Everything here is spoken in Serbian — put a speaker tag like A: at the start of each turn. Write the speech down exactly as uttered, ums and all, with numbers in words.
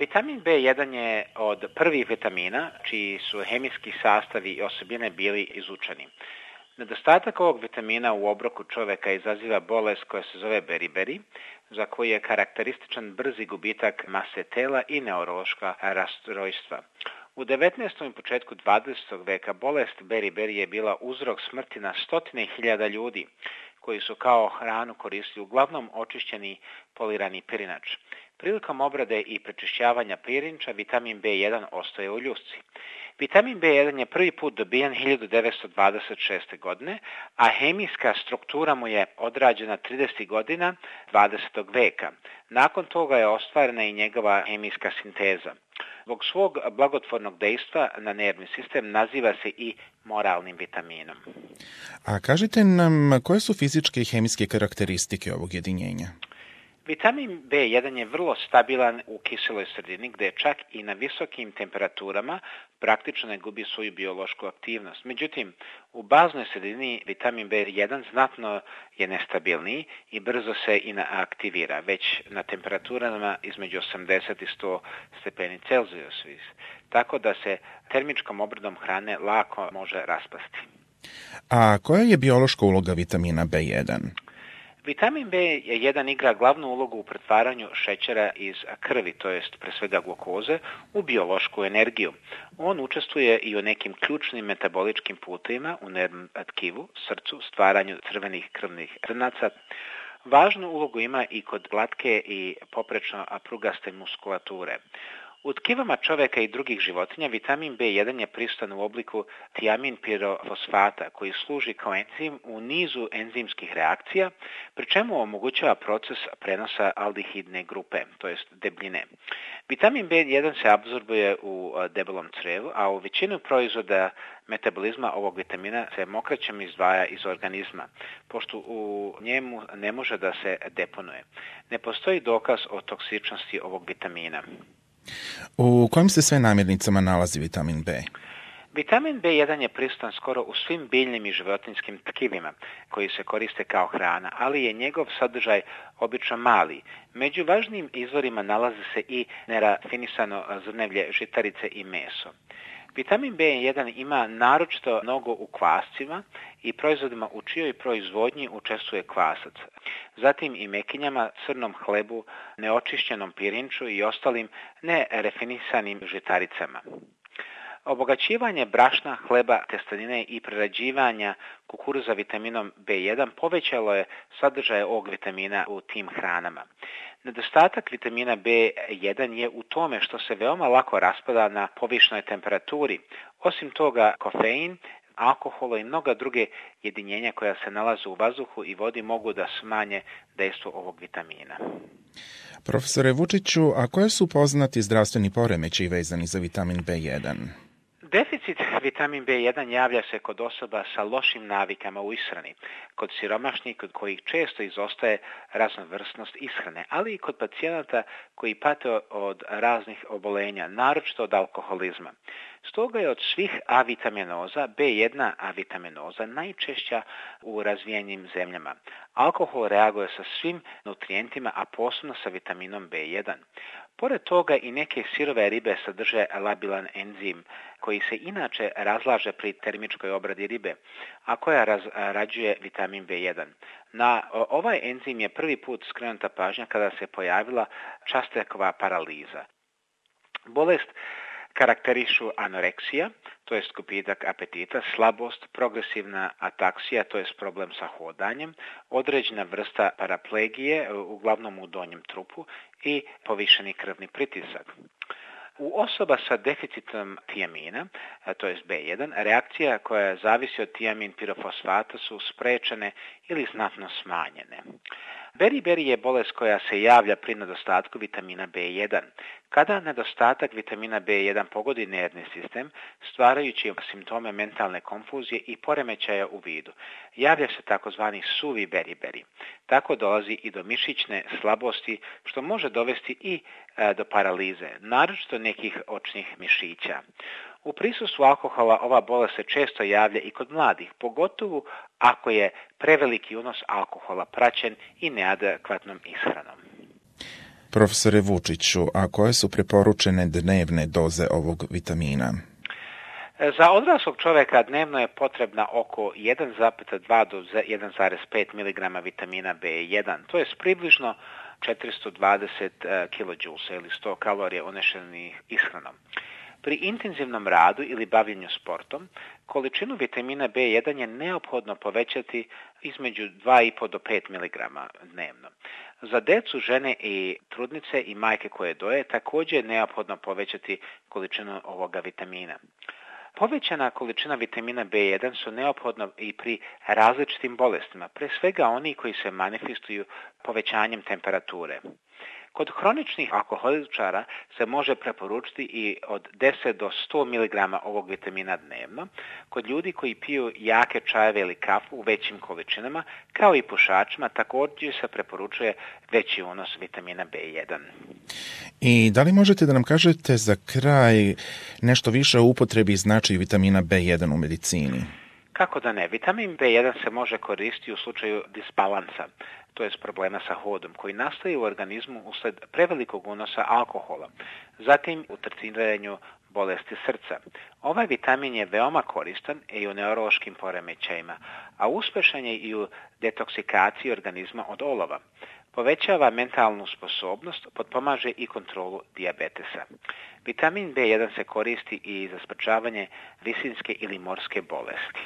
A: Vitamin B jedan je od prvih vitamina čiji su hemijski sastavi i osobine bili izučeni. Nedostatak ovog vitamina u obroku čoveka izaziva bolest koja se zove beriberi, za koju je karakterističan brzi gubitak mase tela i neurološka rastrojstva. U devetnaestom i početku dvadesetog veka bolest beriberi je bila uzrok smrti na stotine hiljada ljudi koji su kao hranu koristili uglavnom očišćeni polirani pirinač. Prilikom obrade i prečišćavanja pirinča vitamin B jedan ostaje u ljusci. Vitamin B jedan je prvi put dobijan hiljadu devetsto dvadeset šeste. godine, a hemijska struktura mu je odrađena tridesetih godina dvadesetog veka. Nakon toga je ostvarena i njegova hemijska sinteza. Zbog svog blagotvornog dejstva na nervni sistem naziva se i moralnim vitaminom.
B: A kažite nam, koje su fizičke i hemijske karakteristike ovog jedinjenja?
A: Vitamin B jedan je vrlo stabilan u kiseloj sredini gde čak i na visokim temperaturama praktično ne gubi svoju biološku aktivnost. Međutim, u baznoj sredini vitamin B jedan znatno je nestabilniji i brzo se inaktivira, već na temperaturama između osamdeset i sto stepeni Celzijusa, tako da se termičkom obradom hrane lako može raspasti.
B: A koja je biološka uloga vitamina B jedan?
A: Vitamin B jedan igra glavnu ulogu u pretvaranju šećera iz krvi, to jest pre svega glukoze, u biološku energiju. On učestvuje i u nekim ključnim metaboličkim putevima u nervnom tkivu, srcu, stvaranju crvenih krvnih zrnaca. Važnu ulogu ima i kod glatke i poprečno prugaste muskulature. U tkivama čoveka i drugih životinja vitamin B jedan je prisutan u obliku tiamin pirofosfata koji služi kao enzim u nizu enzimskih reakcija, pri čemu omogućava proces prenosa aldehidne grupe, to jest debljine. Vitamin B jedan se apsorbuje u debelom crevu, a u većinu proizvoda metabolizma ovog vitamina se mokraćem izdvaja iz organizma, pošto u njemu ne može da se deponuje. Ne postoji dokaz o toksičnosti ovog vitamina.
B: U kojim se sve namirnicama nalazi vitamin B?
A: Vitamin B jedan je prisutan skoro u svim biljnim i životinjskim tkivima koji se koriste kao hrana, ali je njegov sadržaj obično mali. Među važnijim izvorima nalaze se i nerafinisano zrnevlje, žitarice i meso. Vitamin B jedan ima naročito mnogo u kvascima i proizvodima u čijoj proizvodnji učestvuje kvasac. Zatim i mekinjama, crnom hlebu, neočišćenom pirinču i ostalim nerefinisanim žitaricama. Obogaćivanje brašna, hleba, testenine i prerađivanja kukuruza vitaminom B jedan povećalo je sadržaj ovog vitamina u tim hranama. Nedostatak vitamina B jedan je u tome što se veoma lako raspada na povišnoj temperaturi. Osim toga, kofein, alkohol i mnoga druge jedinjenja koja se nalaze u vazduhu i vodi mogu da smanje dejstvo ovog vitamina.
B: Profesore Vučiću, a koje su poznati zdravstveni poremećaji vezani za vitamin B jedan?
A: Deficit vitamin B jedan javlja se kod osoba sa lošim navikama u ishrani, kod siromašnih kod kojih često izostaje raznovrsnost ishrane, ali i kod pacijenata koji pate od raznih obolenja, naročito od alkoholizma. Stoga je od svih avitaminoza B jedna avitaminoza najčešća u razvijenim zemljama. Alkohol reaguje sa svim nutrijentima, a posebno sa vitaminom B jedan. Pored toga i neke sirove ribe sadrže labilan enzim koji se inače razlaže pri termičkoj obradi ribe, a koja razrađuje vitamin B jedan. Na ovaj enzim je prvi put skrenuta pažnja kada se pojavila Častekova paraliza. Bolest karakterišu anoreksija, to jest gubitak apetita, slabost, progresivna ataksija, to jest problem sa hodanjem, određena vrsta paraplegije, uglavnom u donjem trupu, i povišeni krvni pritisak. U osoba sa deficitom tiamina, to jest B jedan, reakcija koja zavisi od tiamin pirofosfata su sprečene ili znatno smanjene. Beriberi je bolest koja se javlja pri nedostatku vitamina B jedan. Kada nedostatak vitamina B jedan pogodi nervni sistem, stvarajući simptome mentalne konfuzije i poremećaja u vidu, javlja se takozvani suvi beriberi. Tako dolazi i do mišićne slabosti, što može dovesti i e, do paralize, naročito nekih očnih mišića. U prisustvu alkohola ova bolest se često javlja i kod mladih, pogotovo ako je preveliki unos alkohola praćen i neadekvatnom ishranom.
B: Profesore Vučiću, a koje su preporučene dnevne doze ovog vitamina?
A: Za odraslog čovjeka dnevno je potrebna oko jedan zarez dva do jedan zarez pet miligrama vitamina B jedan. To je približno četiristo dvadeset kilojulsa ili sto kalorija unešenih ishranom. Pri intenzivnom radu ili bavljenju sportom, količinu vitamina B jedan je neophodno povećati između dva i po do pet miligrama dnevno. Za decu, žene i trudnice i majke koje doje također je neophodno povećati količinu ovoga vitamina. Povećana količina vitamina B jedan su neophodno i pri različitim bolestima, pre svega oni koji se manifestuju povećanjem temperature. Kod hroničnih alkoholičara se može preporučiti i od deset do sto miligrama ovog vitamina dnevno. Kod ljudi koji piju jake čajeve ili kafu u većim količinama, kao i pušačima, također se preporučuje veći unos vitamina B jedan.
B: I da li možete da nam kažete za kraj nešto više o upotrebi i značaju vitamina B jedan u medicini?
A: Kako da ne? Vitamin B jedan se može koristiti u slučaju disbalansa, to je problema sa hodom, koji nastaje u organizmu usled prevelikog unosa alkohola, zatim u tretiranju bolesti srca. Ovaj vitamin je veoma koristan i u neurološkim poremećajima, a uspešan je i u detoksikaciji organizma od olova. Povećava mentalnu sposobnost, potpomaže i kontrolu dijabetesa. Vitamin B jedan se koristi i za sprečavanje visinske ili morske bolesti.